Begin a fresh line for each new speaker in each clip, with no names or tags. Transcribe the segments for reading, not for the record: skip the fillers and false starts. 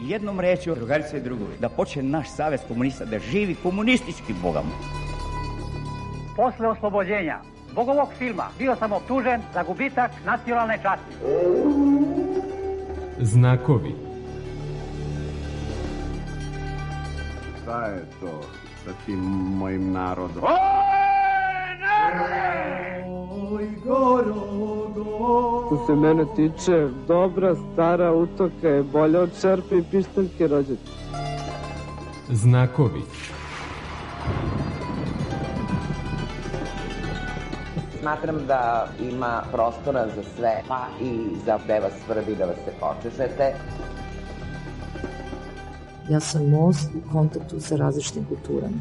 jednom rečju, drugarice i drugovi, da počne naš savez komunista, da živi komunistički bogamo.
Posle oslobođenja zbog ovog filma bio sam optužen za gubitak nacionalne časti.
Znakovi.
Šta je to sa tim mojim narodom?
Oj, Što se mene tiče, dobra stara utoka je bolja od čerpe i pištaljke rođaka.
Znakovi.
Smatram da ima prostora za sve, pa i za gde vas svrbi da vas se počešete.
Ja sam most u kontaktu sa različitim kulturama.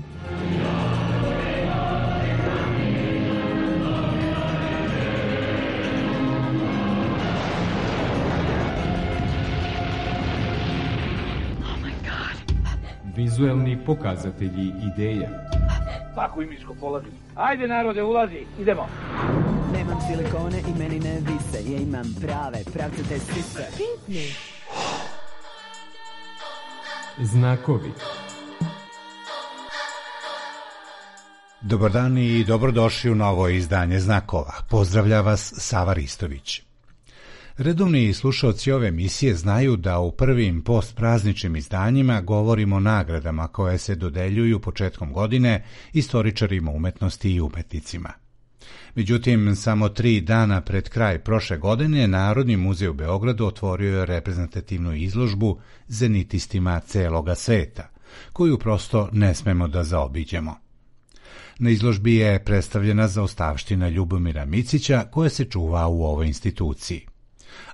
Vizuelni pokazatelji ideja.
Svaku imičko polazi. Ajde narode, ulazi, idemo.
Nemam silikone i meni ne vise, ja imam prave, pravcate sise.
Pitni.
Znakovi.
Dobar dan i dobrodošli u novo izdanje Znakova. Pozdravlja vas Sava Ristović. Redovni slušaoci ove emisije znaju da u prvim postprazničnim izdanjima govorimo o nagradama koje se dodeljuju početkom godine istoričarima umetnosti i umetnicima. Međutim, samo 3 dana pred kraj prošle godine Narodni muzej u Beogradu otvorio je reprezentativnu izložbu zenitistima celoga sveta, koju prosto ne smemo da zaobiđemo. Na izložbi je predstavljena zaostavština Ljubomira Micića koja se čuva u ovoj instituciji.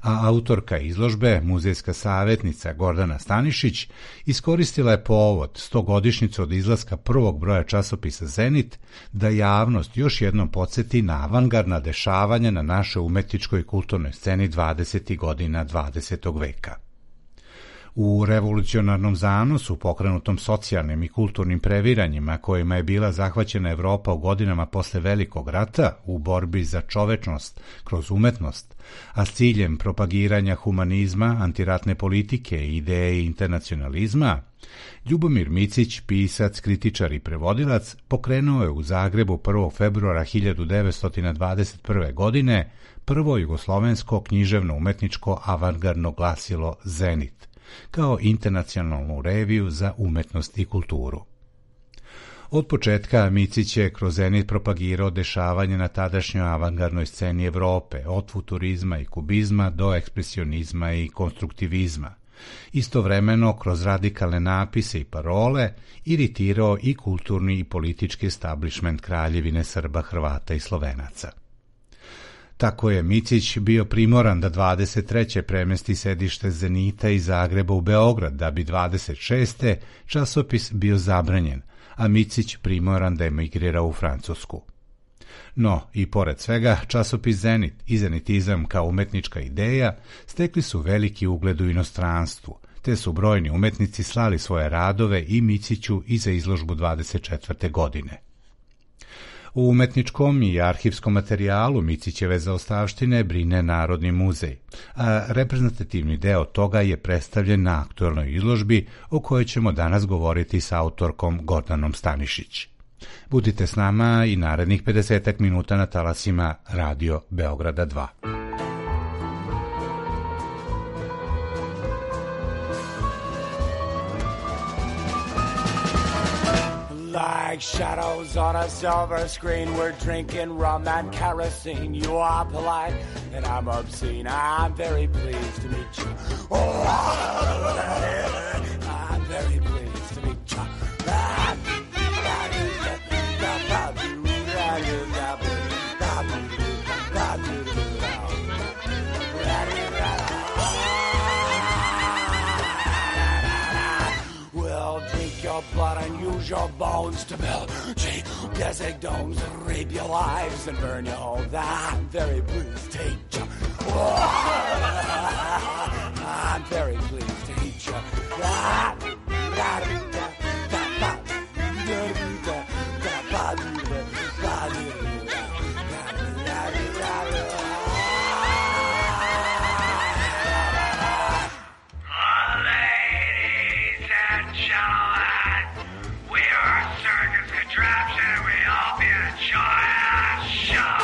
A autorka izložbe, muzejska savjetnica Gordana Stanišić, iskoristila je povod 100-godišnjicu od izlaska prvog broja časopisa Zenit da javnost još jednom podsjeti na avangardna dešavanja na našoj umetničkoj i kulturnoj sceni 20. godina 20. veka. U revolucionarnom zanosu, pokrenutom socijalnim i kulturnim previranjima kojima je bila zahvaćena Evropa u godinama posle Velikog rata u borbi za čovečnost kroz umetnost, a s ciljem propagiranja humanizma, antiratne politike i ideje internacionalizma, Ljubomir Micić, pisac, kritičar i prevodilac, pokrenuo je u Zagrebu 1. februara 1921. godine prvo jugoslovensko književno-umetničko avangardno glasilo Zenit, kao internacionalnu reviju za umetnost i kulturu. Od početka Micić je kroz Zenit propagirao dešavanje na tadašnjoj avangardnoj sceni Evrope, od futurizma i kubizma do ekspresionizma i konstruktivizma. Istovremeno, kroz radikalne napise i parole, iritirao i kulturni i politički establishment Kraljevine Srba, Hrvata i Slovenaca. Tako je Micić bio primoran da 23. premesti sedište Zenita iz Zagreba u Beograd, da bi 26. časopis bio zabranjen, a Micić primoran da emigrira u Francusku. No, i pored svega, časopis Zenit i zenitizam kao umetnička ideja stekli su veliki ugled u inostranstvu, te su brojni umetnici slali svoje radove i Miciću i za izložbu 24. godine. U umetničkom i arhivskom materijalu Micićeve zaostavštine brine Narodni muzej, a reprezentativni deo toga je predstavljen na aktuelnoj izložbi o kojoj ćemo danas govoriti sa autorkom Gordanom Stanišić. Budite s nama i narednih 50 minuta na talasima Radio Beograda 2.
Like shadows on a silver screen, we're drinking rum and kerosene. You are polite and I'm obscene. I'm very pleased to meet you. Oh, I'm very pleased to meet you. Your blood and use your bones to build geodesic domes and rape your lives and burn your homes. I'm very pleased to hate you. I'm very pleased to hate you. gentlemen, we are a circus contraption and we hope you enjoy our show.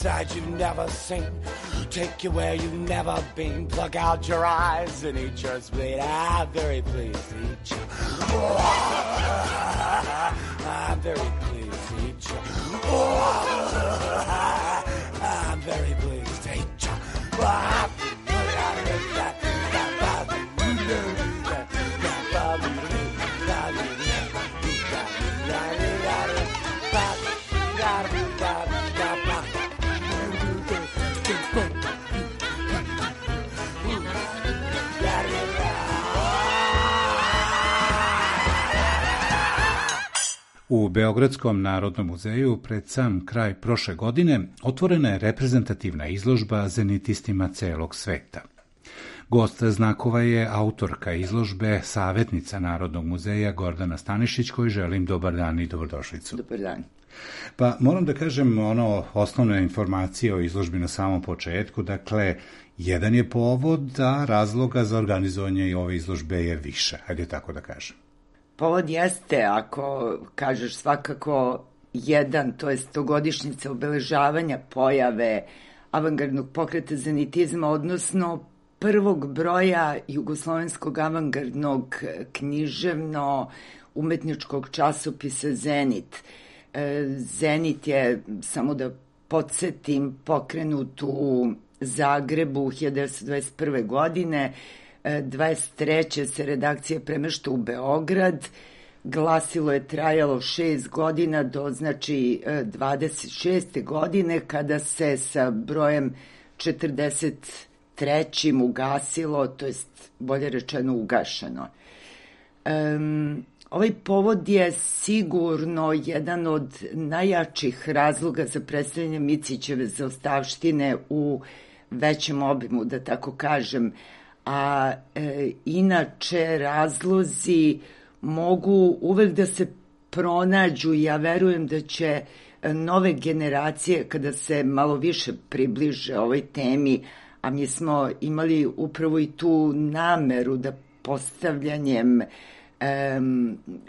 Side you've never seen, take you where you've never been, plug out your eyes and eat your spleen. I'm very pleased to eat you. I'm very pleased to eat you. I'm very pleased to eat you.
U Beogradskom Narodnom muzeju pred sam kraj prošle godine otvorena je reprezentativna izložba zenitistima celog sveta. Gost znakova je autorka izložbe, savjetnica Narodnog muzeja Gordana Stanišić, koji želim dobar dan i dobrodošlicu.
Dobar dan.
Pa moram da kažem osnovne informacije o izložbi na samom početku. Dakle, jedan je povod, a razloga za organizovanje ove izložbe je više. Hajde tako da kažem.
Povod jeste, ako kažeš svakako jedan, to je 100-godišnjica obeležavanja pojave avangardnog pokreta zenitizma, odnosno prvog broja jugoslovenskog avangardnog književno-umetničkog časopisa Zenit. Zenit je, samo da podsjetim, pokrenut u Zagrebu 1921. godine, 23. se redakcija premešta u Beograd, glasilo je trajalo 6 godina do 26. godine kada se sa brojem 43. ugasilo, to jest bolje rečeno ugašeno. Ovaj povod je sigurno jedan od najjačih razloga za predstavljanje Micićeve zaostavštine u većem obimu, da tako kažem, a inače razlozi mogu uvek da se pronađu. Ja verujem da će nove generacije, kada se malo više približe ovoj temi, a mi smo imali upravo i tu nameru da postavljanjem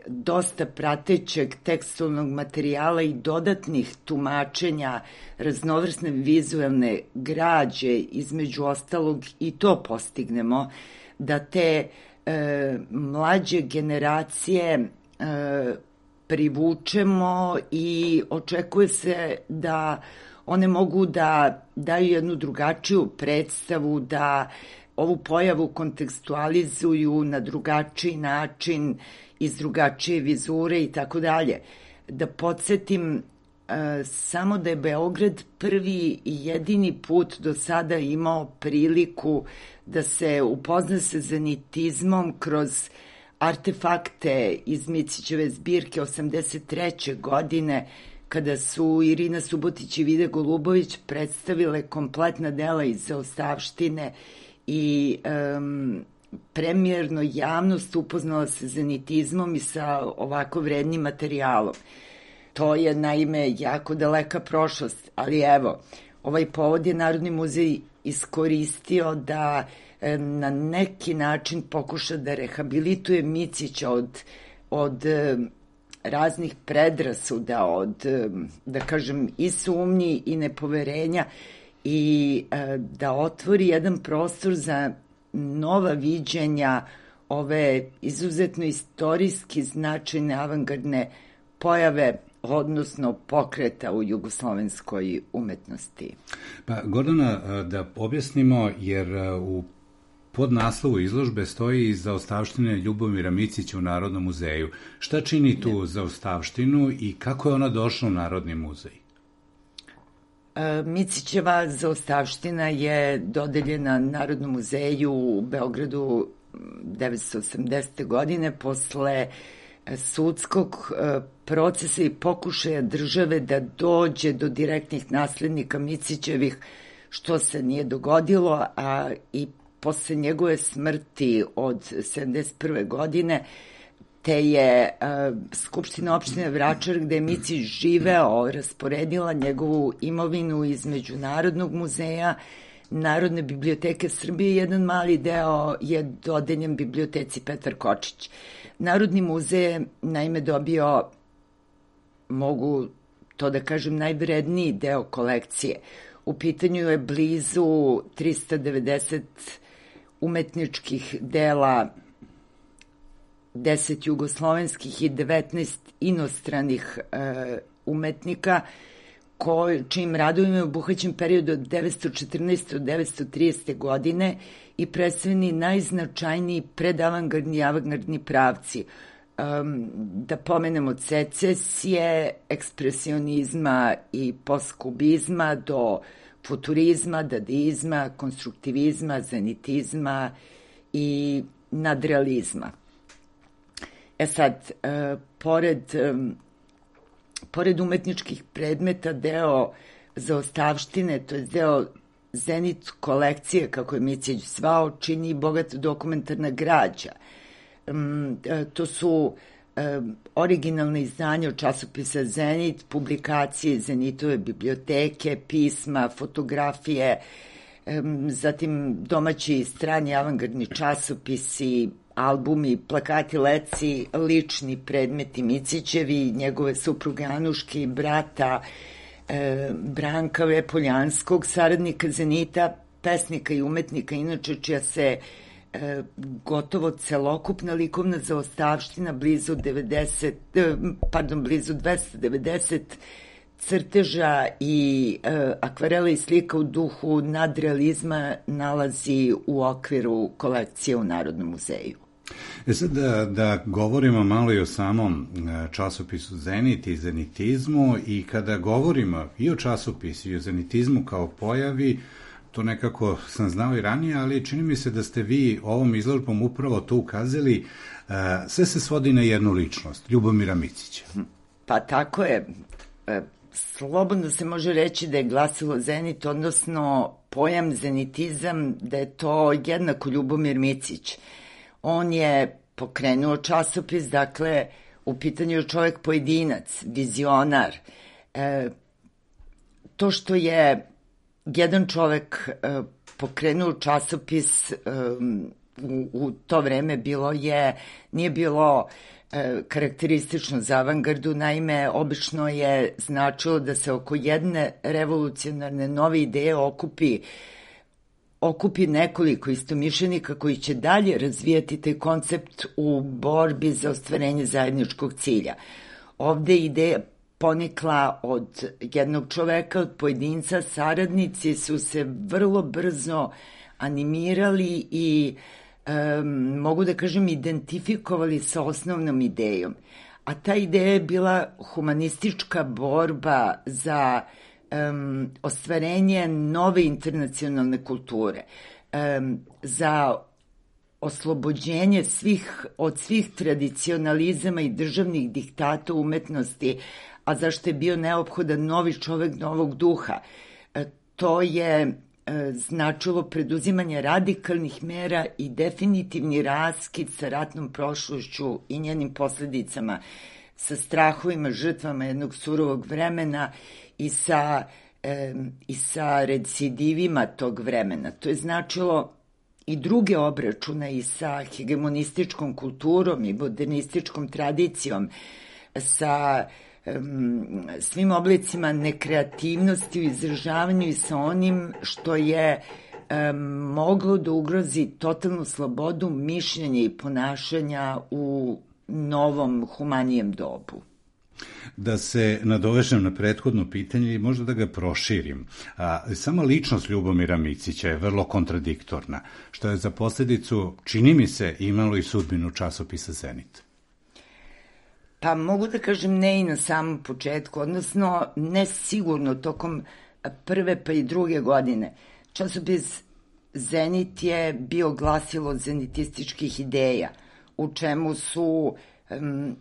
dosta pratećeg tekstualnog materijala i dodatnih tumačenja raznovrsne vizualne građe, između ostalog i to postignemo, da te mlađe generacije privučemo i očekuje se da one mogu da daju jednu drugačiju predstavu, da ovu pojavu kontekstualizuju na drugačiji način, iz drugačije vizure i tako dalje. Da podsjetim samo da je Beograd prvi i jedini put do sada imao priliku da se upozna sa zenitizmom kroz artefakte iz Micićeve zbirke 83. godine, kada su Irina Subotić i Vida Golubović predstavile kompletna dela iz zaostavštine i premijerno javnost upoznala se zenitizmom i sa ovako vrednim materijalom. To je naime jako daleka prošlost, ali evo, ovaj povod je Narodni muzej iskoristio da na neki način pokuša da rehabilituje Micića od raznih predrasuda, od, da kažem, i sumnji i nepoverenja, i da otvori jedan prostor za nova viđenja ove izuzetno istorijski značajne avangardne pojave, odnosno pokreta u jugoslovenskoj umetnosti.
Pa, Gordana, da objasnimo, jer u pod naslovu izložbe stoji zaostavština Ljubomira Micića u Narodnom muzeju. Šta čini tu zaostavštinu i kako je ona došla u Narodni muzej?
Micićeva zaostavština je dodeljena Narodnom muzeju u Beogradu 1980. godine posle sudskog procesa i pokušaja države da dođe do direktnih naslednika Micićevih, što se nije dogodilo, a i posle njegove smrti od 1971. godine, te je Skupština opštine Vračar, gde je Micić živeo, rasporedila njegovu imovinu između Narodnog muzeja, Narodne biblioteke Srbije. Jedan mali deo je dodeljen biblioteci Petar Kočić. Narodni muzej je naime dobio, mogu to da kažem, najvredniji deo kolekcije. U pitanju je blizu 390 umetničkih dela, 10 jugoslovenskih i 19 inostranih umetnika, čijim radovima je obuhvaćen period od 1914. do 1930. godine i predstavljeni najznačajniji predavangardni i avangardni pravci. Da pomenemo secesije, ekspresionizma i postkubizma do futurizma, dadaizma, konstruktivizma, zenitizma i nadrealizma. Sad, pored umetničkih predmeta, deo zaostavštine, to je deo Zenit kolekcije, kako je Micić zvao, čini bogata dokumentarna građa. To su originalne izdanja od časopisa Zenit, publikacije Zenitove biblioteke, pisma, fotografije, zatim domaći i strani avangardni časopisi, albumi, plakati, leci, lični predmeti Micićevi, njegove supruge Anuške i brata Branka Vepoljanskog, saradnika Zenita, pesnika i umetnika, inače čija se gotovo celokupna likovna zaostavština blizu 290 crteža i akvarela i slika u duhu nadrealizma nalazi u okviru kolekcije u Narodnom muzeju.
Sad da govorimo malo i o samom časopisu Zenit i zenitizmu, i kada govorimo i o časopisu i o zenitizmu kao pojavi, to nekako sam znao i ranije, ali čini mi se da ste vi ovom izložbom upravo to ukazali, sve se svodi na jednu ličnost, Ljubomira Micića.
Pa tako je. Slobodno se može reći da je glasilo Zenit, odnosno pojam zenitizam, da je to jednako Ljubomir Micić. On je pokrenuo časopis, dakle, u pitanju je čovek pojedinac, vizionar. To što je jedan čovek pokrenuo časopis u to vreme nije bilo karakteristično za avangardu, naime, obično je značilo da se oko jedne revolucionarne nove ideje okupi nekoliko istomišljenika koji će dalje razvijati taj koncept u borbi za ostvarenje zajedničkog cilja. Ovde ideja ponikla od jednog čoveka, od pojedinca, saradnici su se vrlo brzo animirali i mogu da kažem identifikovali sa osnovnom idejom. A ta ideja je bila humanistička borba za ostvarenje nove internacionalne kulture, za oslobođenje od svih tradicionalizama i državnih diktata umetnosti, a zašto je bio neophodan novi čovek novog duha. To je značilo preduzimanje radikalnih mera i definitivni raskid sa ratnom prošlošću i njenim posledicama, sa strahovima, žrtvama jednog surovog vremena i sa recidivima tog vremena. To je značilo i druge obračune i sa hegemonističkom kulturom i modernističkom tradicijom, sa svim oblicima nekreativnosti u izražavanju i sa onim što je moglo da ugrozi totalnu slobodu mišljenja i ponašanja u novom, humanijem dobu.
Da se nadovežem na prethodno pitanje i možda da ga proširim. Sama ličnost Ljubomira Micića je vrlo kontradiktorna, što je za posljedicu, čini mi se, imalo i sudbinu časopisa Zenit.
Pa mogu da kažem ne i na samom početku, odnosno ne sigurno tokom prve pa i druge godine. Časopis Zenit je bio glasilo zenitističkih ideja, u čemu su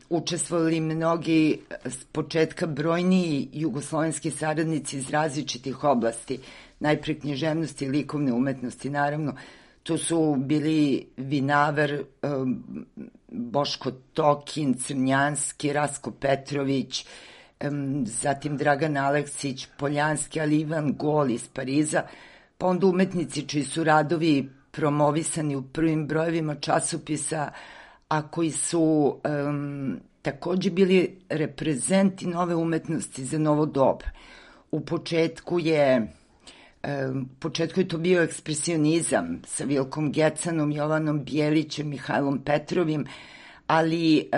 učestvovali mnogi s početka brojniji jugoslovenski saradnici iz različitih oblasti, najpre književnosti i likovne umetnosti, naravno. Tu su bili Vinaver, Boško Tokin, Crnjanski, Rasko Petrović, zatim Dragan Aleksić, Poljanski, ali Ivan Gol iz Pariza, pa onda umetnici čiji su radovi promovisani u prvim brojevima časopisa, a koji su takođe bili reprezenti nove umetnosti za novo doba. U početku je to bio ekspresionizam sa Vilkom Gecanom, Jovanom Bijelićem, Mihajlom Petrovim, ali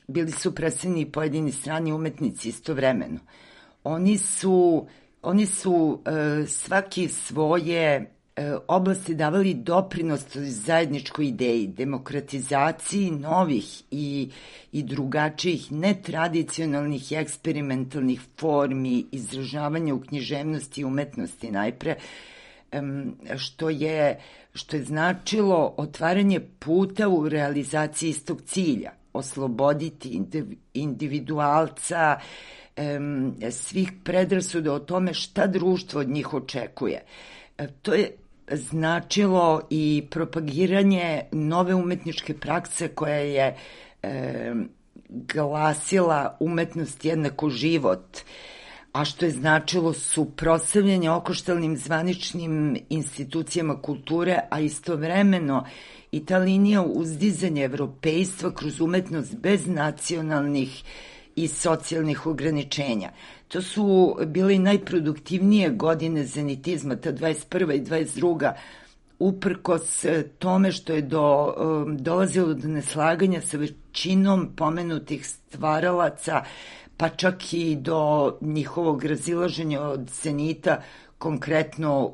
bili su predstavljeni i pojedini strani umetnici istovremeno. Oni su svaki svoje oblasti davali doprinos zajedničkoj ideji, demokratizaciji novih i drugačijih, netradicionalnih i eksperimentalnih formi izražavanja u književnosti i umetnosti najpre, što je značilo otvaranje puta u realizaciji istog cilja, osloboditi individualca svih predrasuda o tome šta društvo od njih očekuje. To je značilo i propagiranje nove umetničke prakse koja je glasila umetnost jednako život, a što je značilo suprotstavljanje okoštalnim zvaničnim institucijama kulture, a istovremeno i ta linija uzdizanja evropejstva kroz umetnost bez nacionalnih i socijalnih ograničenja. To su bile i najproduktivnije godine zenitizma, ta 21. i 22. uprkos tome što je dolazilo do neslaganja sa većinom pomenutih stvaralaca, pa čak i do njihovog razilaženja od Zenita, konkretno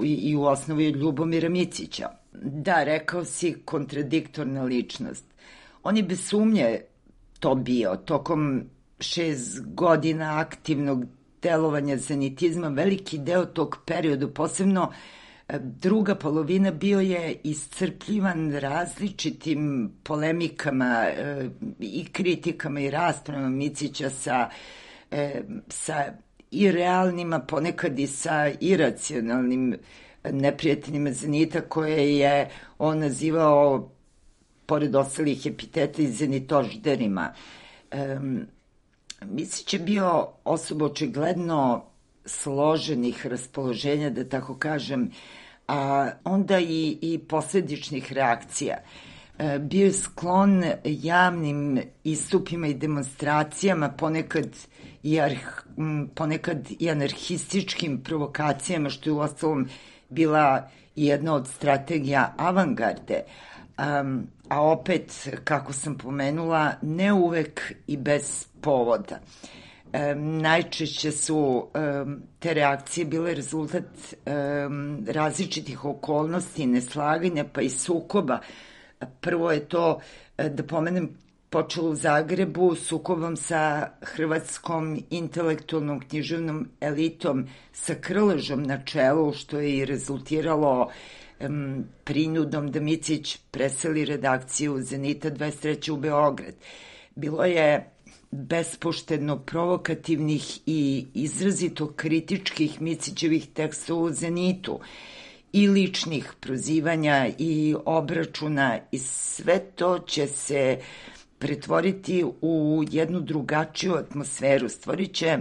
i u osnovi od Ljubomira Micića. Da, rekao si, kontradiktorna ličnost. On je bez sumnje to bio. Tokom 6 godina aktivnog delovanja zenitizma, veliki deo tog perioda, posebno druga polovina, bio je iscrpljivan različitim polemikama i kritikama i raspravama Micića sa i realnima, ponekad i sa iracionalnim neprijateljima Zenita, koje je on nazivao, pored ostalih epiteta, i zenitožderima. Micić je bio osoba očigledno složenih raspoloženja, da tako kažem, a onda i posledičnih reakcija. Bio je sklon javnim istupima i demonstracijama, ponekad i anarhističkim provokacijama, što je uostalom bila jedna od strategija avangarde, a opet, kako sam pomenula, ne uvek i bez povoda. Najčešće su te reakcije bile rezultat različitih okolnosti, neslaganja pa i sukoba. Prvo je to, da pomenem, počelo u Zagrebu sukobom sa hrvatskom intelektualnom književnom elitom sa Krležom na čelu, što je i rezultiralo prinudom da Micić preseli redakciju Zenita 23. u Beograd. Bilo je bespoštedno provokativnih i izrazito kritičkih Micićevih tekstova u Zenitu i ličnih prozivanja i obračuna, i sve to će se pretvoriti u jednu drugačiju atmosferu, stvorit će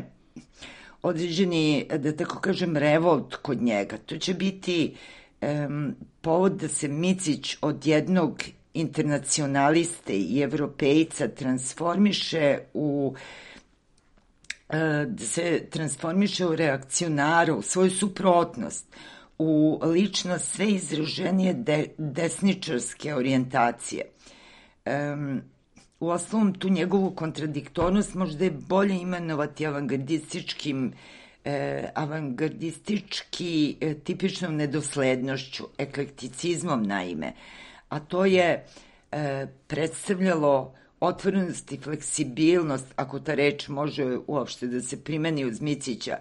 određeni, da tako kažem, revolt kod njega. To će biti povod da se Micić od jednog internacionaliste i evropejca transformiše u reakcionara, u svoju suprotnost, u ličnost sve izraženije desničarske orijentacije. u osnovom tu njegovu kontradiktornost možda je bolje imenovati avangardistički tipičnom nedoslednošću, eklekticizmom naime, a to je predstavljalo otvorenost i fleksibilnost, ako ta reč može uopšte da se primeni uz Micića,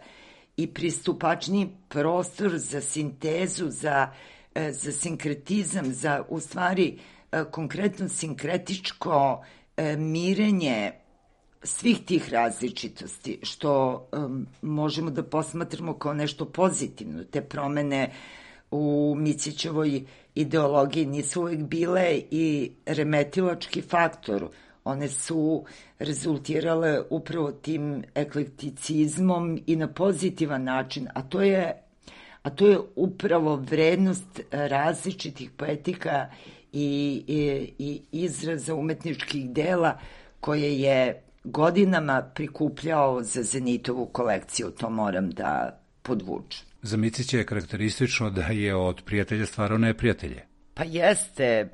i pristupačniji prostor za sintezu, za sinkretizam, za u stvari konkretno sinkretičko mirenje svih tih različitosti, što možemo da posmatramo kao nešto pozitivno. Te promene u Micićevoj ideologiji nisu uvek bile i remetilački faktor. One su rezultirale upravo tim eklekticizmom i na pozitivan način, a to je upravo vrednost različitih poetika i izraza umetničkih dela koje je godinama prikupljao za Zenitovu kolekciju, to moram da podvučem.
Za Micića je karakteristično da je od prijatelja stvarao neprijatelje.
Pa jeste,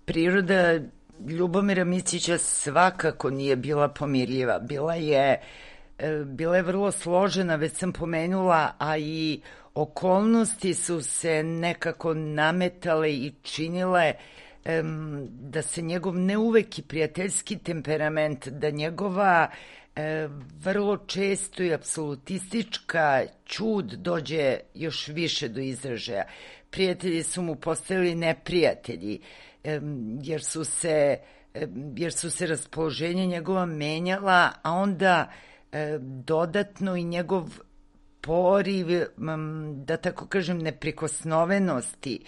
priroda Ljubomira Micića svakako nije bila pomirljiva, bila je vrlo složena, već sam pomenula, a i okolnosti su se nekako nametale i činile da se njegov ne uvek i prijateljski temperament, da njegova vrlo često i apsolutistička ćud dođe još više do izražaja. Prijatelji su mu postajali neprijatelji, jer su se raspoloženja njegova menjala, a onda dodatno i njegov poriv, da tako kažem, neprikosnovenosti,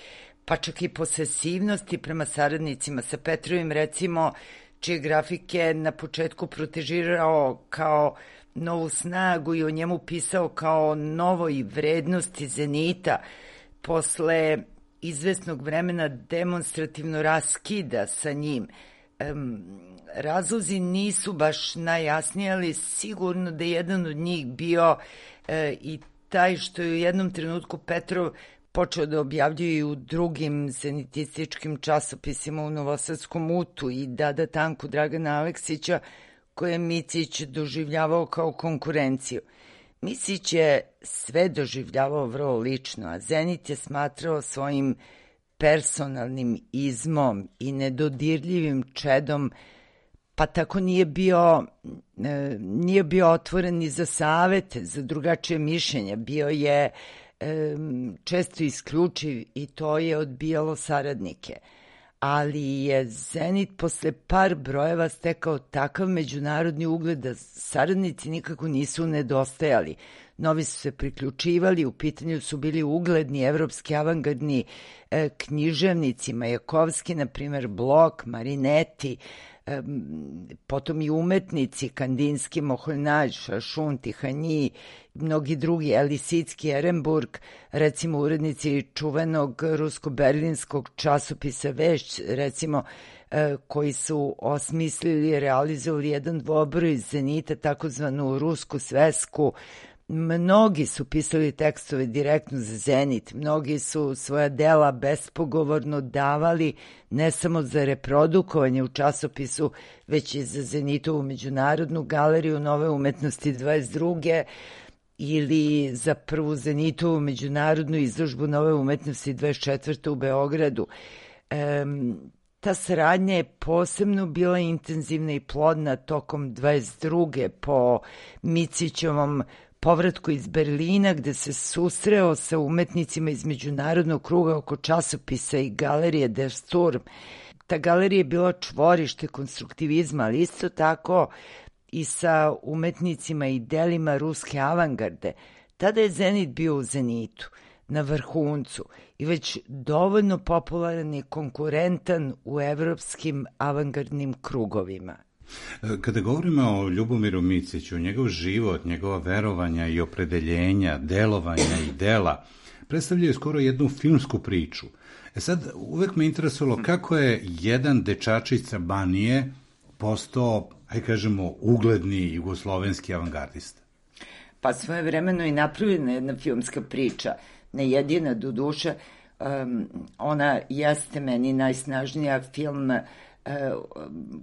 pa čak i posesivnosti prema saradnicima. Sa Petrovim, recimo, čije grafike na početku protežirao kao novu snagu i o njemu pisao kao novoj vrednosti Zenita, posle izvesnog vremena demonstrativno raskida sa njim. Razlozi nisu baš najjasniji, ali sigurno da je jedan od njih bio i taj što je u jednom trenutku Petrov počeo da objavljuje i u drugim zenitističkim časopisima, u Novosadskom Utu i Dada Tanku Dragana Aleksića, koje je Micić doživljavao kao konkurenciju. Micić je sve doživljavao vrlo lično, a Zenit je smatrao svojim personalnim izmom i nedodirljivim čedom, pa tako nije bio otvoren ni za savete, za drugačije mišljenja. Bio je često isključiv i to je odbijalo saradnike. Ali je Zenit posle par brojeva stekao takav međunarodni ugled da saradnici nikako nisu nedostajali. Novi su se priključivali, u pitanju su bili ugledni evropski avangardni književnici, Majakovski, na primer Blok, Marinetti, potom i umetnici Kandinski, Moholjnađ, Šašun, Tihanji, mnogi drugi, Lisicki, Ehrenburg, recimo urednici čuvenog rusko-berlinskog časopisa Vešć, recimo, koji su osmislili i realizovali jedan dvobroj Zenita, takozvanu rusku svesku. Mnogi su pisali tekstove direktno za Zenit, mnogi su svoja dela bespogovorno davali ne samo za reprodukovanje u časopisu, već i za Zenitovu međunarodnu galeriju Nove umetnosti 22. ili za prvu Zenitovu međunarodnu izložbu Nove umetnosti 24. u Beogradu. Ta saradnja je posebno bila intenzivna i plodna tokom 22. po Micićevom povratku iz Berlina, gde se susreo sa umetnicima iz međunarodnog kruga oko časopisa i galerije Der Sturm. Ta galerija je bila čvorište konstruktivizma, ali isto tako i sa umetnicima i delima ruske avangarde. Tada je Zenit bio u zenitu, na vrhuncu i već dovoljno popularan i konkurentan u evropskim avangardnim krugovima.
Kada govorimo o Ljubomiru Miciću, njegov život, njegova verovanja i opredeljenja, delovanja i dela, predstavljaju skoro jednu filmsku priču. Sad, uvek me interesovalo kako je jedan dečačić sa Banije postao, ajde kažemo, ugledni jugoslovenski avangardista.
Pa svojevremeno i napravljena jedna filmska priča, ne jedina do duše, ona jeste meni najsnažnija film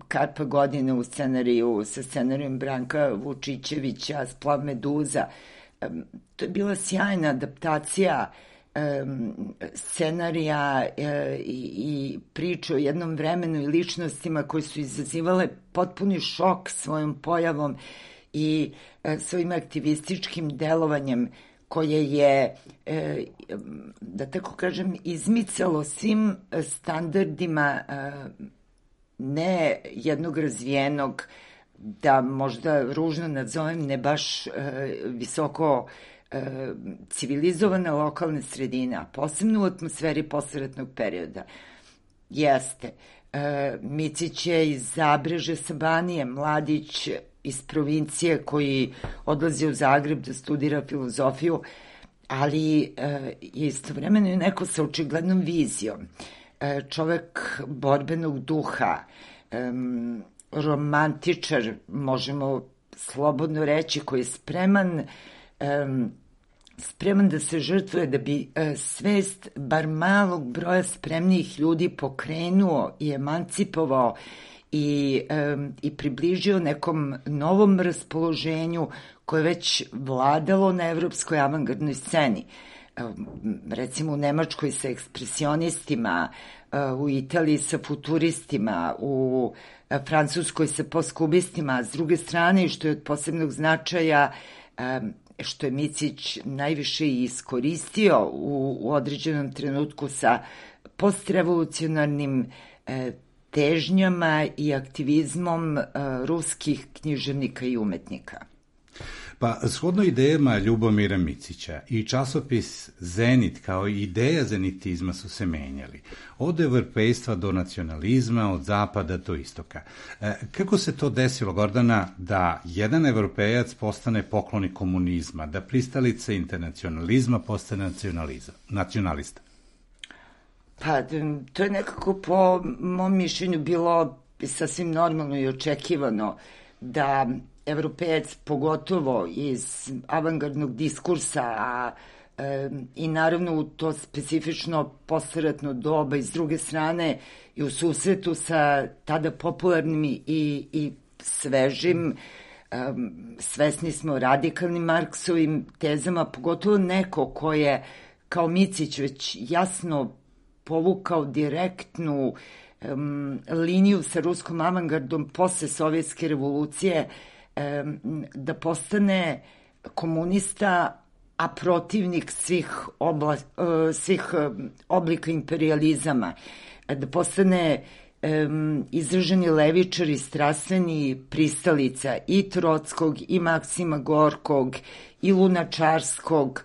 Karpa godine u scenariju, sa scenarijom Branka Vučićevića, Splav meduza. To je bila sjajna adaptacija scenarija i priče o jednom vremenu i ličnostima koji su izazivale potpuni šok svojom pojavom i svojim aktivističkim delovanjem koje je, da tako kažem, izmicalo svim standardima ne jednog razvijenog, da možda ružno nazovem, ne baš visoko civilizovane lokalne sredine, a posebno u atmosferi posleratnog perioda. Jeste. Micić je iz Zabreže sa Banije, mladić iz provincije koji odlazi u Zagreb da studira filozofiju, ali je istovremeno i neko sa očiglednom vizijom. Čovek borbenog duha, romantičar, možemo slobodno reći, koji je spreman da se žrtvuje da bi svest bar malog broja spremnijih ljudi pokrenuo i emancipovao i približio nekom novom raspoloženju koje već vladalo na evropskoj avangardnoj sceni. Recimo u Nemačkoj sa ekspresionistima, u Italiji sa futuristima, u Francuskoj sa postkubistima, a s druge strane, što je od posebnog značaja, što je Micić najviše iskoristio u određenom trenutku sa postrevolucionarnim težnjama i aktivizmom ruskih književnika i umetnika.
Pa, shodno idejama Ljubomira Micića i časopis Zenit kao i ideja zenitizma su se menjali. Od evropejstva do nacionalizma, od zapada do istoka. Kako se to desilo, Gordana, da jedan evropejac postane poklonik komunizma, da pristalica internacionalizma postane nacionalista?
Pa, to je nekako po mom mišljenju bilo sasvim normalno i očekivano da evropejac, pogotovo iz avangardnog diskursa, i naravno u to specifično posleratno doba i s druge strane i u susretu sa tada popularnim i svežim, svesni smo radikalnim Marksovim tezama, pogotovo neko ko je kao Micić već jasno povukao direktnu liniju sa ruskom avangardom posle Sovjetske revolucije, da postane komunista, a protivnik svih oblika imperijalizama, da postane izraženi levičar i strastveni pristalica i Trockog, i Maksima Gorkog, i Lunačarskog,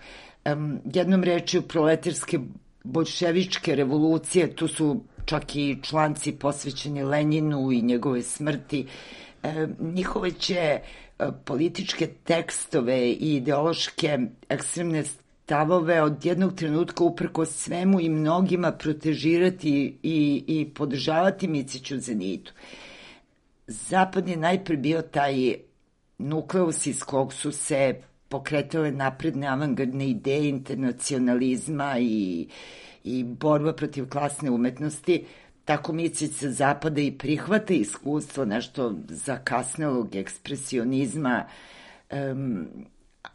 jednom rečju proletarske boljševičke revolucije. Tu su čak i članci posvećeni Lenjinu i njegove smrti. Njihove će političke tekstove i ideološke ekstremne stavove od jednog trenutka uprko svemu i mnogima protežirati i podržavati Miciću Zenitu. Zapad je najpre bio taj nukleus iz kog su se pokretale napredne avangardne ideje internacionalizma i borba protiv klasne umetnosti. Tako Micić sa zapada i prihvata iskustvo nešto zakasnelog ekspresionizma,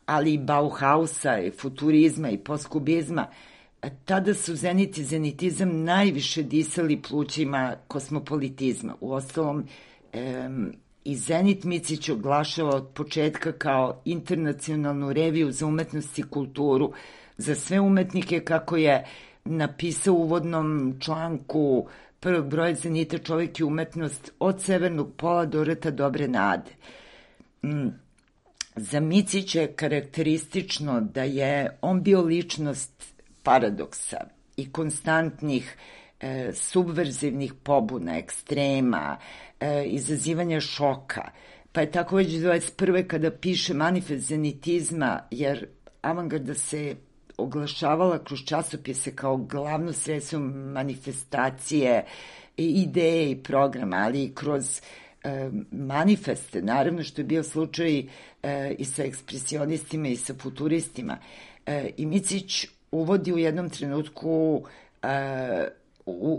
ali i Bauhausa, i futurizma i postkubizma. Tada su Zenit i zenitizam najviše disali plućima kosmopolitizma. Uostalom, i Zenit Micić oglašava od početka kao internacionalnu reviju za umetnost i kulturu za sve umetnike, kako je napisao u uvodnom članku prvog broja Zenita Čovjek i umetnost, od Severnog pola do Rta Dobre nade. Za Micića je karakteristično da je on bio ličnost paradoksa i konstantnih subverzivnih pobuna, ekstrema, izazivanja šoka. Pa je tako već 21. kada piše Manifest zenitizma, jer avangarda se oglašavala kroz časopise kao glavno sredstvo manifestacije, ideje i programa, ali i kroz manifeste, naravno, što je bio slučaj i sa ekspresionistima i sa futuristima. I Micić uvodi u jednom trenutku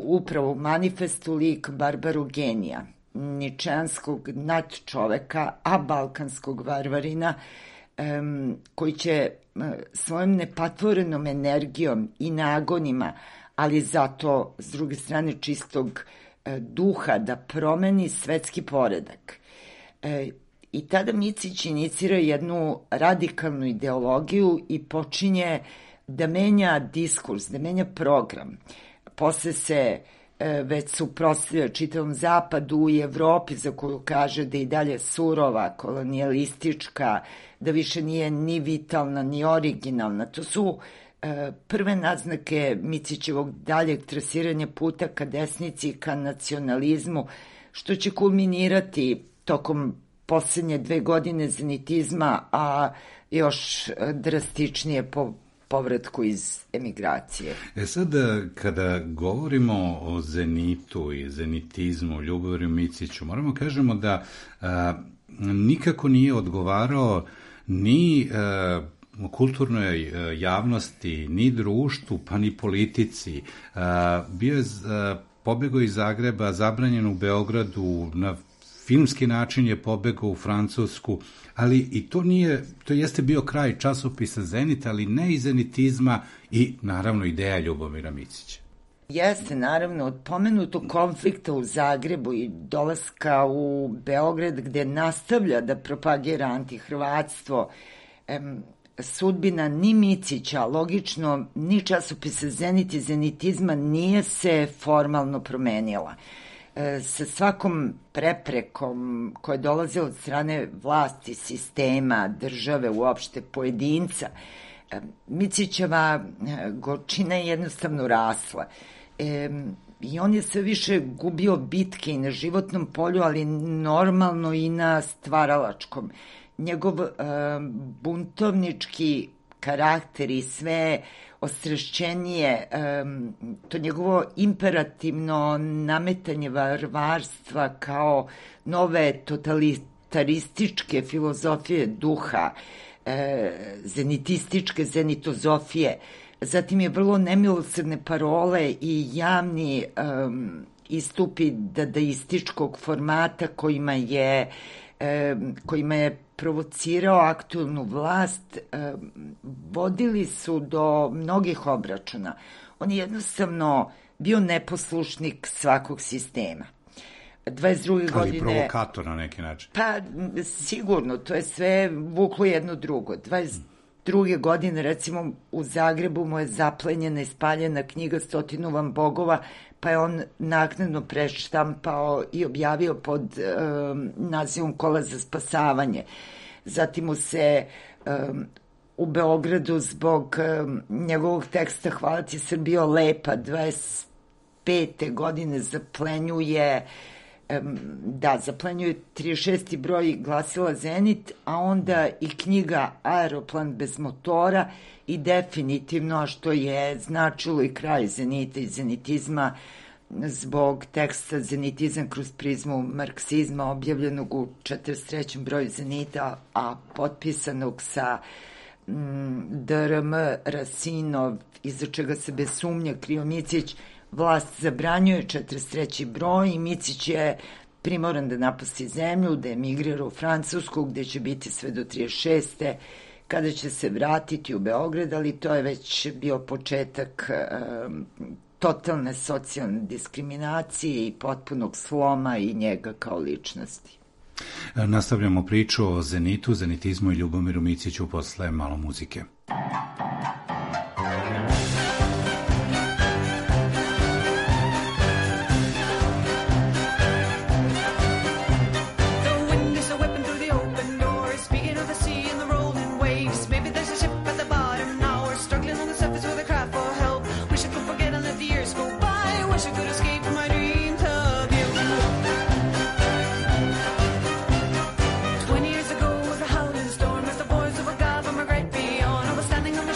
upravo u manifestu lik Barbaru genija, ničanskog nadčoveka, a balkanskog varvarina, koji će svojom nepatvorenom energijom i nagonima, ali zato, s druge strane, čistog duha, da promeni svetski poredak. I tada Micić inicira jednu radikalnu ideologiju i počinje da menja diskurs, da menja program. Posle se već suprotstavlja čitavom zapadu i Evropi, za koju kaže da i dalje surova, kolonijalistička, da više nije ni vitalna, ni originalna. To su prve naznake Micićevog daljeg trasiranja puta ka desnici i ka nacionalizmu, što će kulminirati tokom poslednje 2 godine zenitizma, a još drastičnije po povratku iz emigracije.
Sad, kada govorimo o zenitu i zenitizmu, Ljubomiru Miciću, moramo kažemo da nikako nije odgovarao ni kulturnoj javnosti, ni društvu, pa ni politici. Bio je pobegao iz Zagreba, zabranjen u Beogradu, na filmski način je pobegao u Francusku, ali i to jeste bio kraj časopisa Zenit, ali ne i zenitizma i naravno ideja Ljubomira Micića.
Jeste, naravno, od pomenutog konflikta u Zagrebu i dolaska u Beograd, gde nastavlja da propagira antihrvatstvo, sudbina ni Micića, logično, ni časopisa Zenit i zenitizma nije se formalno promenila. Sa svakom preprekom koja je dolazila od strane vlasti, sistema, države, uopšte pojedinca, Micićeva gorčina je jednostavno rasla. I on je sve više gubio bitke i na životnom polju, ali normalno i na stvaralačkom. Njegov buntovnički karakter i sve ostrašćenije, to njegovo imperativno nametanje varvarstva kao nove totalitarističke filozofije duha, zenitističke zenitozofije, zatim je vrlo nemilosrdne parole i javni istupi dadaističkog formata kojima je provocirao aktuelnu vlast, vodili su do mnogih obračuna. On je jednostavno bio neposlušnik svakog sistema. 22.
Ali provokator na neki način.
Pa, sigurno, to je sve vuklo jedno drugo. 22. godine, recimo, u Zagrebu mu je zaplenjena i spaljena knjiga 100 vam bogova, pa je on naknadno preštampao i objavio pod nazivom Kola za spasavanje. Zatim mu se u Beogradu zbog njegovog teksta Hvala ti Srbijo lepa 25. godine zaplenjuje 36. broj glasila Zenit, a onda i knjiga Aeroplan bez motora i definitivno, što je značilo i kraj Zenita i zenitizma, zbog teksta Zenitizam kroz prizmu marksizma, objavljenog u 43. broju Zenita, a potpisanog sa DRM Rasinov, iza čega se bez sumnja krio Micić. Vlast zabranjuje 43. broj i Micić je primoran da napusti zemlju, da emigrira u Francusku, gde će biti sve do 36. kada će se vratiti u Beograd, ali to je već bio početak totalne socijalne diskriminacije i potpunog sloma i njega kao ličnosti.
Nastavljamo priču o Zenitu, zenitizmu i Ljubomiru Miciću posle malo muzike.
Standing on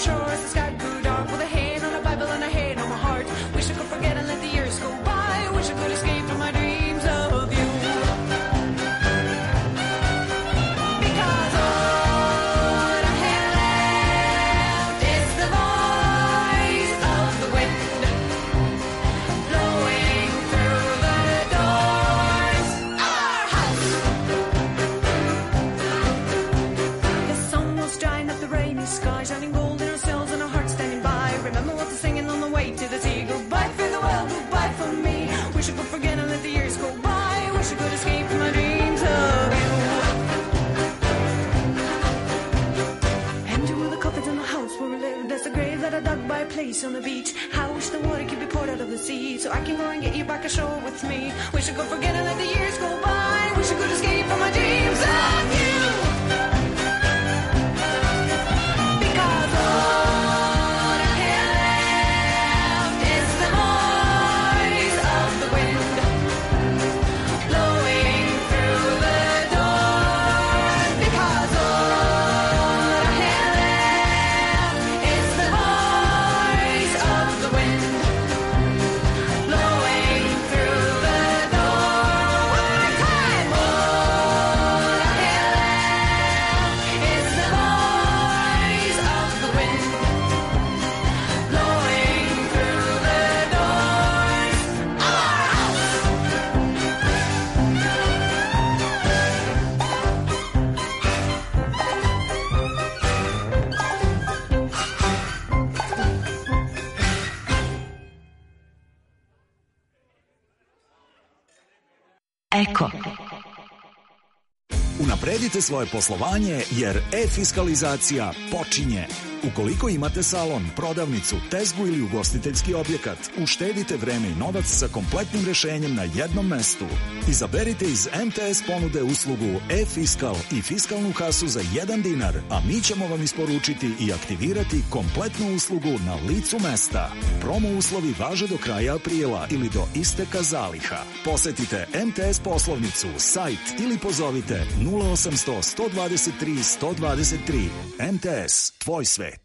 forget and let the years go by. Wish I could escape from my dreams of you. Empty were the coffins in the house where we lived. That's the grave that I dug by a place on the beach. How I wish the water could be poured out of the sea, so I can go and get you back ashore with me. Wish I could forget and let the years go by. Wish I could escape from my dreams of you. Because all I have left is the noise of the wind blowing through the door. Because all I have left is the voice of the wind blowing through the door. One more time. All I have left is the voice of the wind blowing through the doors of our house.
Eko.
Unapredite svoje poslovanje jer e-fiskalizacija počinje. Ukoliko imate salon, prodavnicu, tezgu ili ugostiteljski objekat, uštedite vreme i novac sa kompletnim rešenjem na jednom mestu. Izaberite iz MTS ponude uslugu e-fiskal i fiskalnu kasu za 1 dinar, a mi ćemo vam isporučiti i aktivirati kompletnu uslugu na licu mesta. Promo uslovi važe do kraja aprila ili do isteka zaliha. Posetite MTS poslovnicu, sajt ili pozovite 0800 123 123. MTS, tvoj svet.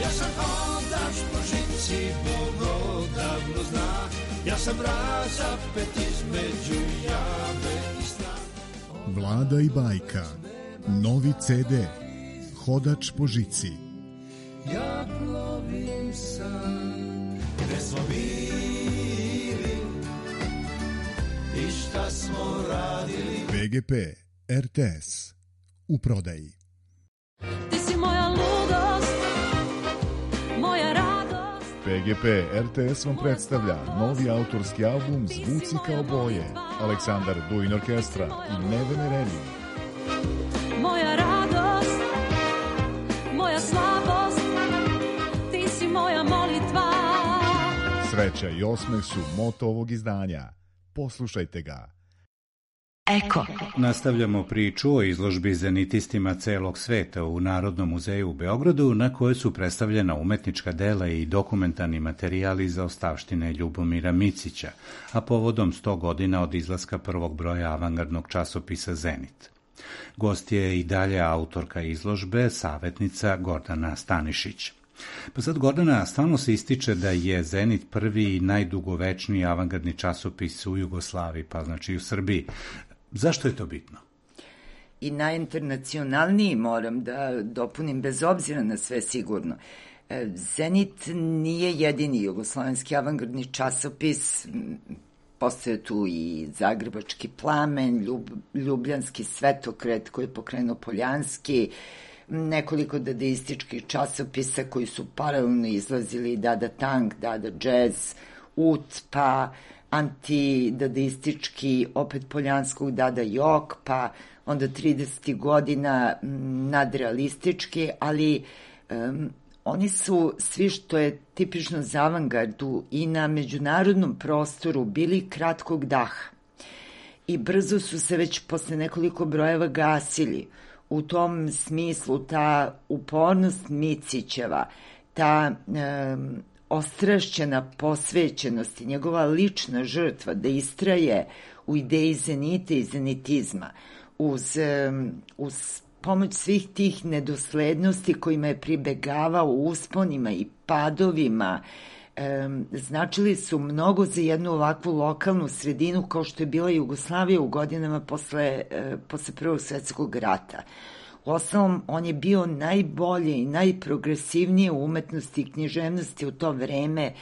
Ja sam hodač po žici, Bog odavno zna. Ja sam razapet između jave i sna.
Vlada i bajka. Novi CD. Hodač po žici.
Ja plovim sam, gde smo bili i šta smo radili.
PGP RTS. U prodaji.
Ti si moja ludost, moja radost.
PGP RTS vam predstavlja novi autorski album Zvuci kao boje. Aleksandar Duin Orkestra i Nevene Remi.
Moja radost, moja slabost, ti si moja molitva.
Sreća i osmeh su moto ovog izdanja. Poslušajte ga.
Eko.
Nastavljamo priču o izložbi zenitistima celog sveta u Narodnom muzeju u Beogradu, na kojoj su predstavljena umetnička dela i dokumentarni materijali za ostavštine Ljubomira Micića, a povodom 100 godina od izlaska prvog broja avangardnog časopisa Zenit. Gost je i dalje autorka izložbe, savetnica Gordana Stanišić. Pa sad, Gordana, stalno se ističe da je Zenit prvi i najdugovečniji avangardni časopis u Jugoslaviji, pa znači i u Srbiji. Zašto je to bitno?
I najinternacionalniji, moram da dopunim, bez obzira na sve sigurno. Zenit nije jedini jugoslovenski avangardni časopis, postoje tu i Zagrebački plamen, Ljubljanski svetokret koji je pokrenuo Poljanski, nekoliko dadaističkih časopisa koji su paralelno izlazili, Dada Tank, Dada Jazz, Ut, pa antidadaistički, opet Poljanskog Dada Jok, pa onda 30. godina nadrealistički, ali oni su svi, što je tipično za avangardu i na međunarodnom prostoru, bili kratkog daha i brzo su se već posle nekoliko brojeva gasili. U tom smislu ta upornost Micićeva, ta ostrašćena posvećenost i njegova lična žrtva da istraje u ideji zenita i zenitizma uz pomoć svih tih nedoslednosti kojima je pribegavao u usponima i padovima, značili su mnogo za jednu ovakvu lokalnu sredinu kao što je bila Jugoslavija u godinama posle Prvog svetskog rata. Uostalom, on je bio najbolje i najprogresivnije u umetnosti i književnosti u to vreme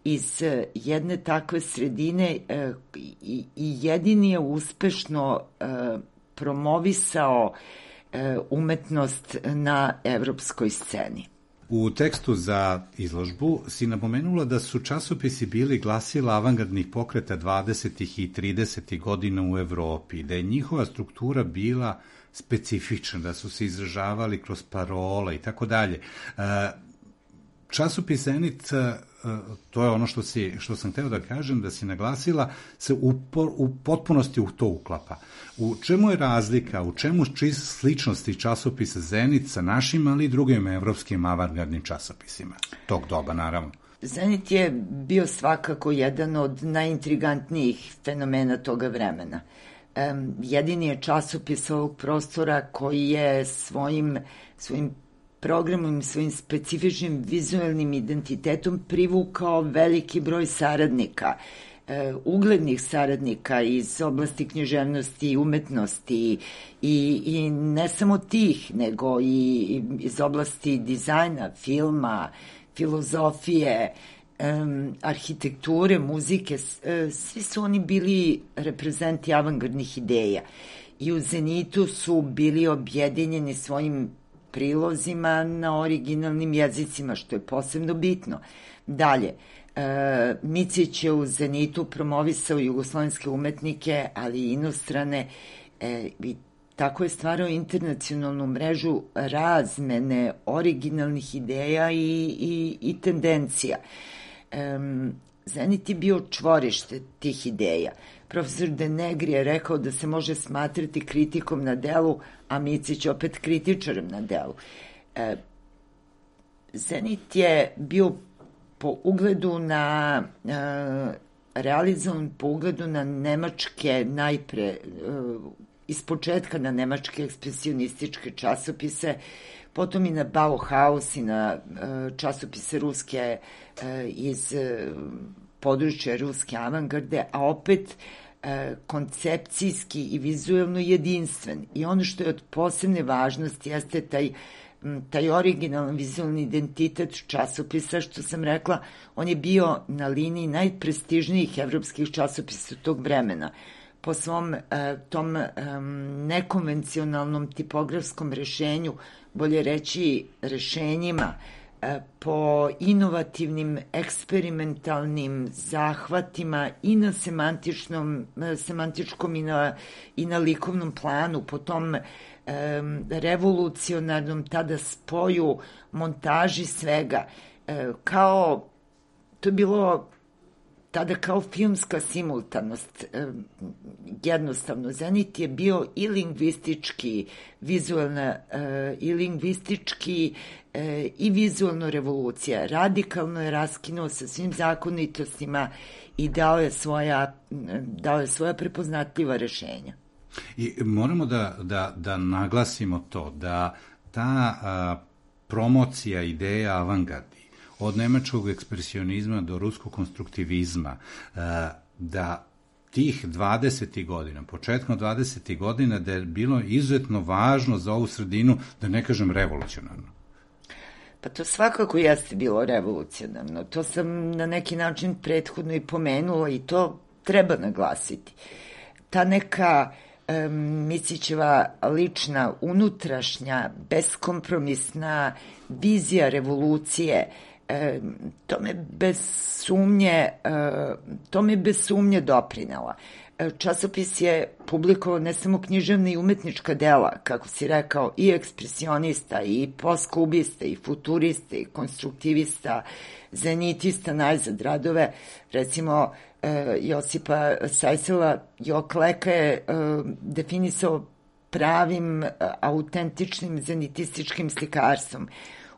iz jedne takve sredine i jedini je uspešno promovisao umetnost na evropskoj sceni.
U tekstu za izložbu si napomenula da su časopisi bili glasila avangardnih pokreta 20. i 30. godina u Evropi, da je njihova struktura bila specifična, da su se izražavali kroz parole i tako dalje. Časopis Zenit, to je ono što sam hteo da kažem, da si naglasila, se u potpunosti u to uklapa. U čemu je razlika, u čemu sličnosti časopisa Zenit sa našim, ali i drugim evropskim avangardnim časopisima tog doba, naravno?
Zenit je bio svakako jedan od najintrigantnijih fenomena toga vremena. Jedini je časopis ovog prostora koji je svojim programom, svojim specifičnim vizualnim identitetom privukao veliki broj saradnika, uglednih saradnika iz oblasti književnosti i umetnosti i ne samo tih, nego i iz oblasti dizajna, filma, filozofije, arhitekture, muzike. Svi su oni bili reprezenti avangardnih ideja i u Zenitu su bili objedinjeni svojim prilozima na originalnim jezicima, što je posebno bitno. Dalje, Micić je u Zenitu promovisao jugoslovenske umetnike, ali i inostrane, i tako je stvarao internacionalnu mrežu razmene originalnih ideja i tendencija. Zenit je bio čvorište tih ideja. Profesor De Negri je rekao da se može smatrati kritikom na delu, a Micić opet kritičarem na delu. Zenit je bio po ugledu na realizovan po ugledu na nemačke najpre iz početka na nemačke ekspresionističke časopise, potom i na Bauhaus i na časopise ruske iz područja ruske avangarde, a opet koncepcijski i vizuelno jedinstven. I ono što je od posebne važnosti jeste taj originalan vizualni identitet časopisa, što sam rekla, on je bio na liniji najprestižnijih evropskih časopisa tog vremena. Po svom tom nekonvencionalnom tipografskom rešenju, bolje reći rešenjima, po inovativnim, eksperimentalnim zahvatima i na semantičkom i na likovnom planu, po tom revolucionarnom tada spoju, montaži svega, to je bilo tada kao filmska simultanost. Jednostavno, Zenit je bio i lingvistički, i lingvistički i vizualno revolucija. Radikalno je raskinuo sa svim zakonitostima i dao je svoja prepoznatljiva rešenja.
I moramo da naglasimo to, da ta promocija ideja avangardi, od nemačkog ekspresionizma do ruskog konstruktivizma, da tih 20. godina, početkom 20. godina, da je bilo izuzetno važno za ovu sredinu, da ne kažem revolucionarno.
Pa to svakako jeste bilo revolucionarno. To sam na neki način prethodno i pomenula i to treba naglasiti. Ta neka Micićeva lična, unutrašnja, beskompromisna vizija revolucije, to me bez sumnje doprinela. Časopis je publikovao ne samo književne i umetnička dela, kako si rekao, i ekspresionista, i postkubista, i futurista, i konstruktivista, zenitista, najzad radove, recimo Josipa Sajsela Jokleka je definisao pravim, autentičnim zenitističkim slikarstvom.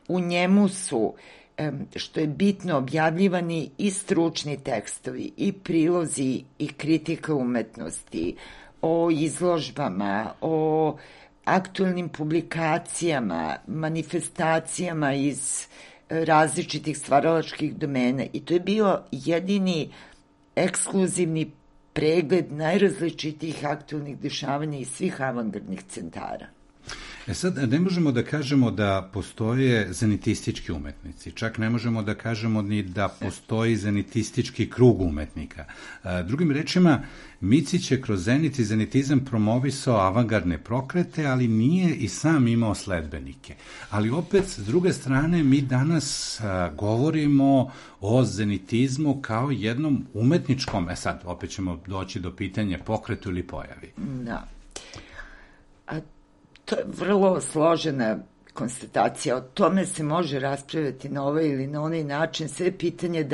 U njemu su, što je bitno, objavljivani i stručni tekstovi, i prilozi, i kritika umetnosti, o izložbama, o aktuelnim publikacijama, manifestacijama iz različitih stvaralačkih domena. I to je bio jedini ekskluzivni pregled najrazličitijih aktuelnih dešavanja iz svih avangardnih centara.
Sad, ne možemo da kažemo da postoje zenitistički umetnici, čak ne možemo da kažemo ni da postoji zenitistički krug umetnika. Drugim rečima, Micić je kroz zenit i zenitizam promovisao avangardne prokrete, ali nije i sam imao sledbenike. Ali opet, s druge strane, mi danas govorimo o zenitizmu kao jednom umetničkom, sad, opet ćemo doći do pitanja pokretu ili pojavi.
Da. To je vrlo složena konstatacija. O tome se može raspravljati na ovaj ili na onaj način. Sve je pitanje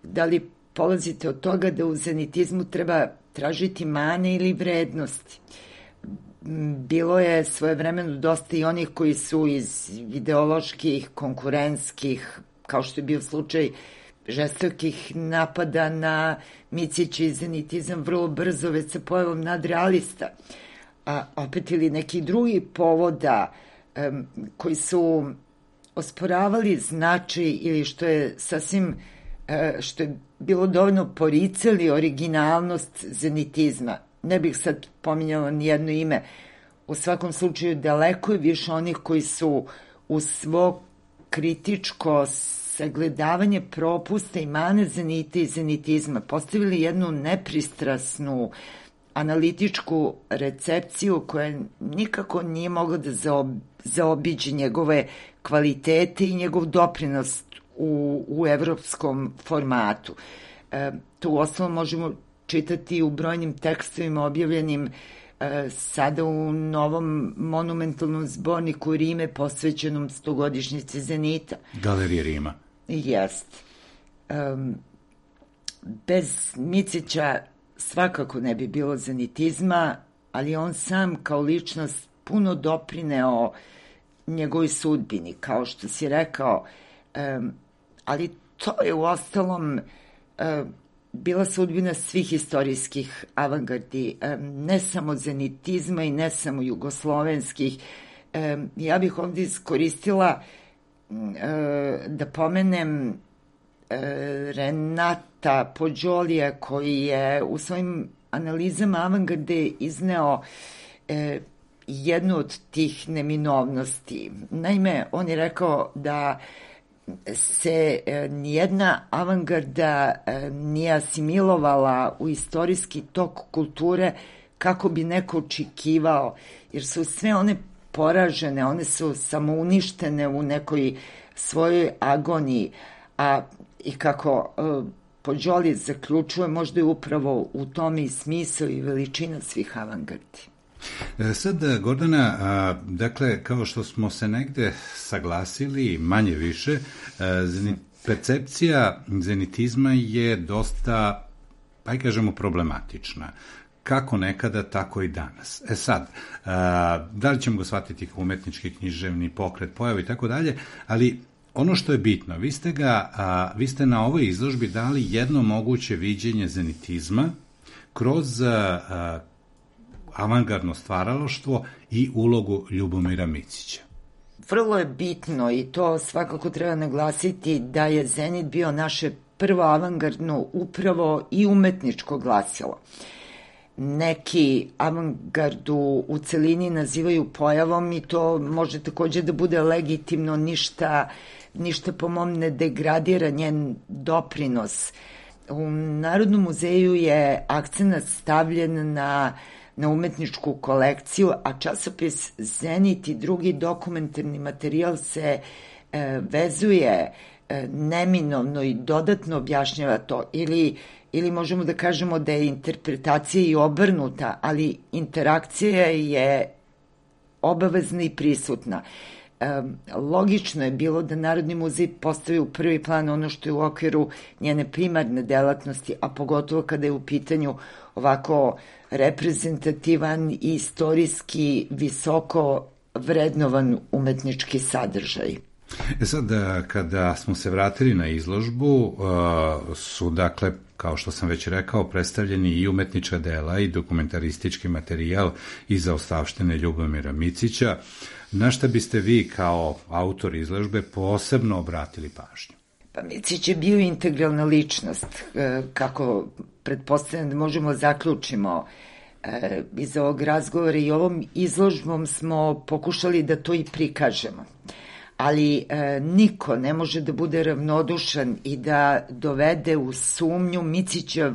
da li polazite od toga da u zenitizmu treba tražiti mane ili vrednosti. Bilo je svojevremeno dosta i onih koji su iz ideoloških, konkurentskih, kao što je bio slučaj žestokih napada na Micića i zenitizam vrlo brzo već sa pojavom nadrealista. A opet ili neki drugi povoda koji su osporavali značaj ili što je sasvim, što je bilo dovoljno poricali originalnost zenitizma. Ne bih sad pominjala nijedno ime. U svakom slučaju daleko je više onih koji su u svo kritičko sagledavanje propusta i mane zenita i zenitizma postavili jednu nepristrasnu analitičku recepciju koja nikako nije mogla da zaobiđe njegove kvalitete i njegov doprinos u evropskom formatu. To uostalom možemo čitati u brojnim tekstovima objavljenim sada u novom monumentalnom zborniku Rime posvećenom 100-godišnjici Zenita.
Galerije Rima.
Jest. Bez Micića svakako ne bi bilo zenitizma, ali on sam kao ličnost puno doprineo njegovoj sudbini, kao što si rekao, ali to je uostalom bila sudbina svih istorijskih avangardi, ne samo zenitizma i ne samo jugoslovenskih. Ja bih ovdje iskoristila da pomenem Renata Pođolija, koji je u svojim analizama avangarde izneo jednu od tih neminovnosti. Naime, on je rekao da se nijedna avangarda nije asimilovala u istorijski tok kulture kako bi neko očekivao, jer su sve one poražene, one su samouništene u nekoj svojoj agoniji, a i kako Pođoli zaključuje, možda je upravo u tome i smisao i veličina svih avangardi.
Sad, Gordana, dakle, kao što smo se negde saglasili, manje više, percepcija zenitizma je dosta, pa i kažemo, problematična. Kako nekada, tako i danas. Sad, da li ćemo ga shvatiti kao umetnički, književni pokret, pojavu i tako dalje, ali ono što je bitno, vi ste na ovoj izložbi dali jedno moguće viđenje zenitizma kroz avangardno stvaralaštvo i ulogu Ljubomira Micića.
Vrlo je bitno i to svakako treba naglasiti da je Zenit bio naše prvo avangardno upravo i umetničko glasilo. Neki avangardu u celini nazivaju pojavom i to može takođe da bude legitimno, ništa po mom ne degradira njen doprinos. U Narodnom muzeju je akcenat stavljen na umetničku kolekciju, a časopis Zenit i drugi dokumentarni materijal se vezuje neminovno i dodatno objašnjava to, ili možemo da kažemo da je interpretacija i obrnuta, ali interakcija je obavezna i prisutna. Logično je bilo da Narodni muzej postavi u prvi plan ono što je u okviru njene primarne delatnosti, a pogotovo kada je u pitanju ovako reprezentativan i istorijski visoko vrednovan umetnički sadržaj.
Sad, kada smo se vratili na izložbu, su, dakle, kao što sam već rekao, predstavljeni i umetnička dela i dokumentaristički materijal iz zaostavštine Ljubomira Micića. Na šta biste vi kao autor izložbe posebno obratili pažnju?
Pa Micić je bio integralna ličnost, kako pretpostavljam da možemo zaključimo iz ovog razgovora i ovom izložbom smo pokušali da to i prikažemo. Ali niko ne može da bude ravnodušan i da dovede u sumnju Micićev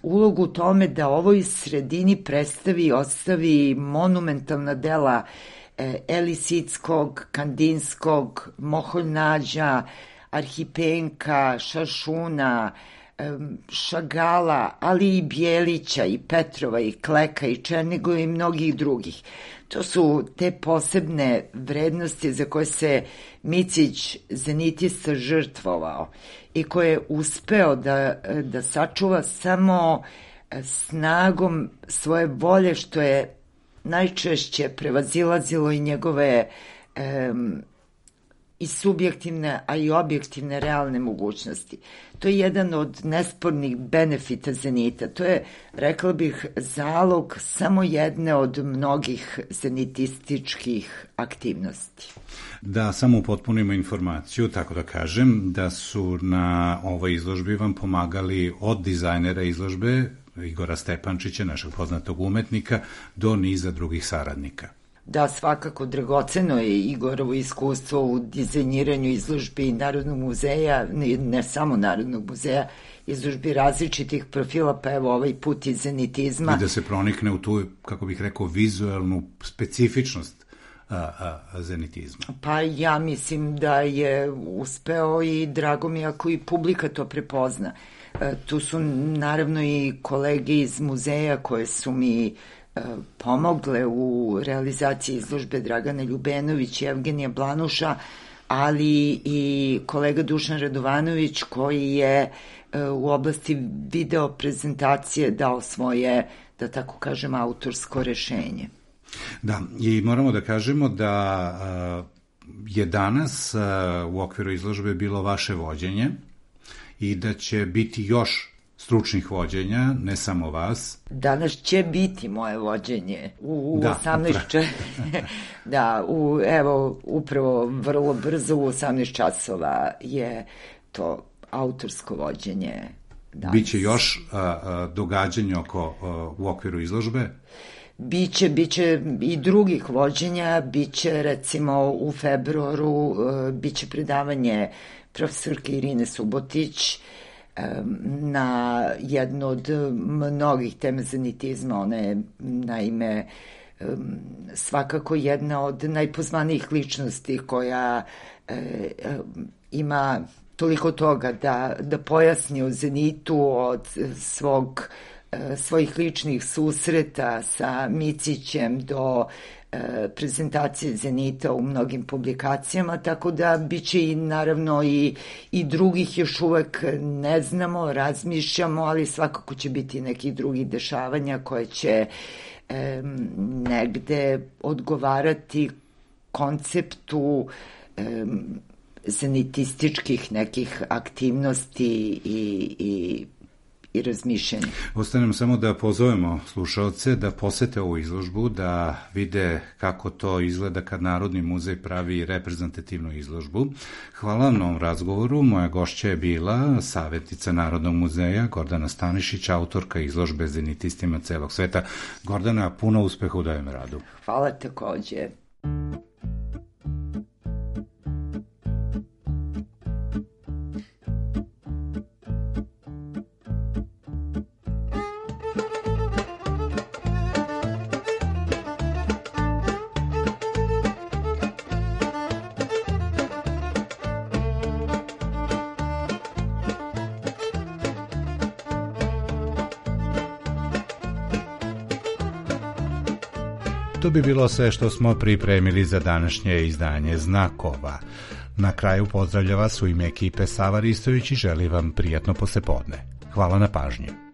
ulogu u tome da ovoj sredini predstavi i ostavi monumentalna dela Elisickog, Kandinskog, Moholjnađa, Arhipenka, Šašuna, Šagala, ali i Bjelića, i Petrova, i Kleka, i Černigova i mnogih drugih. To su te posebne vrednosti za koje se Micić, zenitista, žrtvovao i koje je uspeo da sačuva samo snagom svoje volje, što je najčešće prevazilazilo i njegove i subjektivne, a i objektivne realne mogućnosti. To je jedan od nespornih benefita Zenita. To je, rekla bih, zalog samo jedne od mnogih zenitističkih aktivnosti.
Da samo upotpunimo informaciju, tako da kažem, da su na ovoj izložbi vam pomagali od dizajnera izložbe Igora Stepančića, našeg poznatog umetnika, do niza drugih saradnika.
Da, svakako dragoceno je Igorovo iskustvo u dizajniranju izložbi Narodnog muzeja, ne samo Narodnog muzeja, izložbi različitih profila, pa evo ovaj put iz zenitizma.
I da se pronikne u tu, kako bih rekao, vizuelnu specifičnost zenitizma.
Pa ja mislim da je uspeo i drago mi ako i publika to prepozna. Tu su naravno i kolege iz muzeja koje su mi pomogle u realizaciji izložbe, Dragana Ljubenović i Evgenija Blanuša, ali i kolega Dušan Radovanović koji je u oblasti video prezentacije dao svoje, da tako kažem, autorsko rešenje.
Da, i moramo da kažemo da je danas u okviru izložbe bilo vaše vođenje i da će biti još stručnih vođenja, ne samo vas.
Danas će biti moje vođenje u 18 da, evo, upravo vrlo brzo u 18 časova je to autorsko vođenje danas.
Biće još događanja u okviru izložbe?
Biće i drugih vođenja, biće recimo u februaru, biće predavanje profesorke Irine Subotić na jednu od mnogih tema zenitizma. Ona je naime svakako jedna od najpozvanijih ličnosti koja ima toliko toga da pojasni o Zenitu od svojih ličnih susreta sa Micićem do prezentacije Zenita u mnogim publikacijama, tako da biće i naravno i drugih još uvek ne znamo, razmišljamo, ali svakako će biti nekih drugih dešavanja koje će negde odgovarati konceptu zenitističkih nekih aktivnosti i razmišljanja.
Ostanem samo da pozovemo slušaoce da posete ovu izložbu, da vide kako to izgleda kad Narodni muzej pravi reprezentativnu izložbu. Hvala vam na ovom razgovoru. Moja gošća je bila savjetnica Narodnog muzeja Gordana Stanišić, autorka izložbe Zenitistima celog sveta. Gordana, puno uspeha u daljem radu.
Hvala takođe.
To bi bilo sve što smo pripremili za današnje izdanje Znakova. Na kraju pozdravlja vas u ime ekipe Sava Ristović i želi vam prijatno poslepodne. Hvala na pažnji.